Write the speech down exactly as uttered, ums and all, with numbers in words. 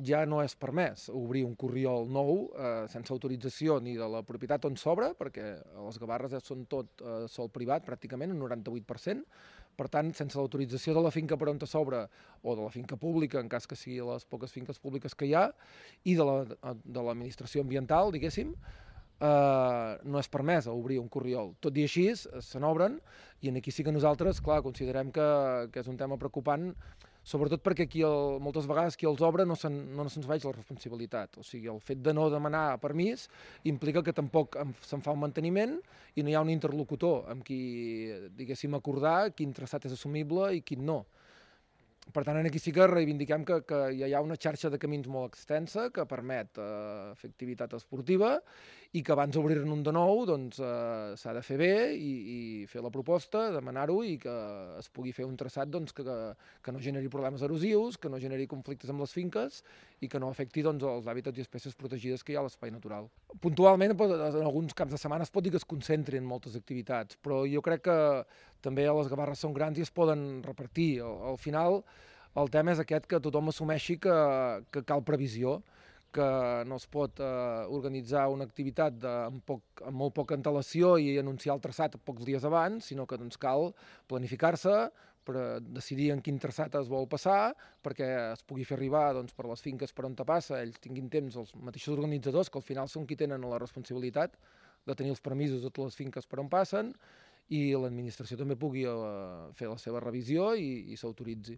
ja no és permès obrir un corriol nou eh, sense autorització ni de la propietat on s'obre, perquè a les Gavarres ja són tot eh, sol privat, pràcticament, un noranta-vuit per cent. Per tant, sense l'autorització de la finca per on s'obre o de la finca pública, en cas que sigui les poques finques públiques que hi ha, i de la- de l'administració ambiental, diguéssim, eh, no és permès obrir un corriol. Tot i així, se n'obren, i aquí sí que nosaltres, clar, considerem que, que és un tema preocupant, sobretot perquè aquí el, moltes vegades qui els obre no se'n no se'ns veig la responsabilitat. O sigui, el fet de no demanar permís implica que tampoc se'n fa un manteniment i no hi ha un interlocutor amb qui, diguéssim, acordar quin traçat és assumible i quin no. Per tant, aquí sí que reivindiquem que, que ja hi ha una xarxa de camins molt extensa que permet eh, fer activitat esportiva i que abans d'obrir-ne un de nou doncs, eh, s'ha de fer bé i, i fer la proposta, demanar-ho i que es pugui fer un traçat doncs, que, que no generi problemes erosius, que no generi conflictes amb les finques i que no afecti doncs, els hàbitats i espècies protegides que hi ha a l'espai natural. Puntualment, en alguns caps de setmana es pot dir que es concentrin moltes activitats, però jo crec que també les Gavarres són grans i es poden repartir. Al, al final, el tema és aquest, que tothom assumeixi que, que cal previsió, que no es pot eh, organitzar una activitat de, amb, poc, amb molt poca antelació i anunciar el traçat pocs dies abans, sinó que doncs, cal planificar-se per decidir en quin traçat es vol passar, perquè es pugui fer arribar doncs, per les finques per on te passa, ells tinguin temps, els mateixos organitzadors, que al final són qui tenen la responsabilitat de tenir els permisos de totes les finques per on passen, i l'administració també pugui eh, fer la seva revisió i, i s'autoritzi.